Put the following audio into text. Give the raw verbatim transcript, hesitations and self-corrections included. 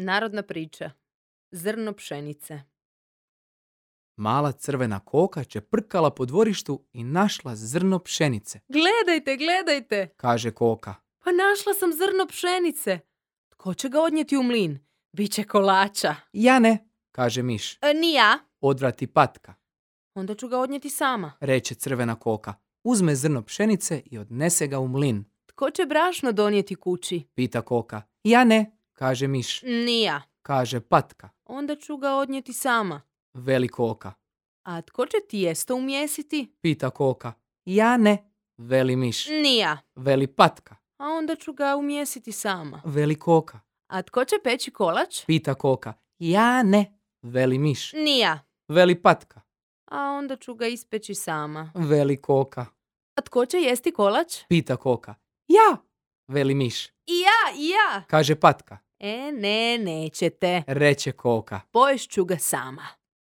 Narodna priča. Zrno pšenice. Mala crvena koka čeprkala po dvorištu i našla zrno pšenice. Gledajte, gledajte. Kaže koka. Pa našla sam zrno pšenice. Tko će ga odnijeti u mlin? Biće kolača. Ja ne, kaže miš. E, ni ja. Odvrati patka. Onda ću ga odnijeti sama. Reče crvena koka. Uzme zrno pšenice i odnese ga u mlin. Tko će brašno donijeti kući? Pita koka. Ja ne, kaže miš. Ni ja. Kaže patka. Onda ću ga odnijeti sama. Veli koka. A tko će tijesto umjesiti? Pita koka. Ja ne, veli miš. Ni ja. Veli patka. A onda ću ga umjesiti sama. Veli koka. A tko će peći kolač? Pita koka. Ja ne, veli miš. Ni ja. Veli patka. A onda ću ga ispeći sama. Veli koka. A tko će jesti kolač? Pita koka. Ja, veli miš. I ja, i ja. Kaže patka. E, ne, nećete. Reče koka. Poješću ga sama.